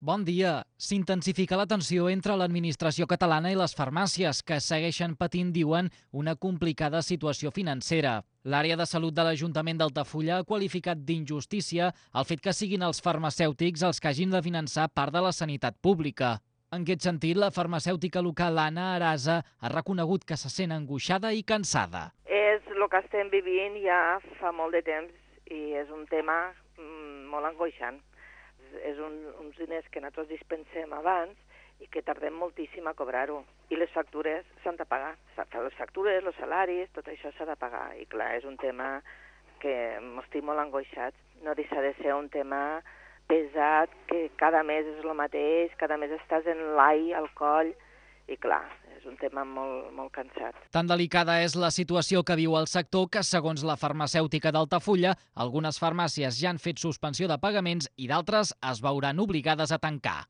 Bon dia. S'intensifica la tensió entre l'administració catalana i les farmàcies, que segueixen patint, diuen, una complicada situació financera. L'àrea de salut de l'Ajuntament d'Altafulla ha qualificat d'injustícia el fet que siguin els farmacèutics els que hagin de finançar part de la sanitat pública. En aquest sentit, la farmacèutica local Anna Arasa ha reconegut que se sent angoixada i cansada. És el que estem vivint ja fa molt de temps i és un tema molt angoixant. És uns diners que nosaltres dispensem abans i que tardem moltíssim a cobrar-ho. I les factures s'han de pagar. Les factures, els salaris, tot això s'ha de pagar. I clar, és un tema que estic molt angoixats. No deixa de ser un tema pesat, que cada mes és el mateix, cada mes estàs en l'ai, al coll, i clar, és un tema molt cansat. Tan delicada és la situació que viu el sector que, segons la farmacèutica d'Altafulla, algunes farmàcies ja han fet suspensió de pagaments i d'altres es veuran obligades a tancar.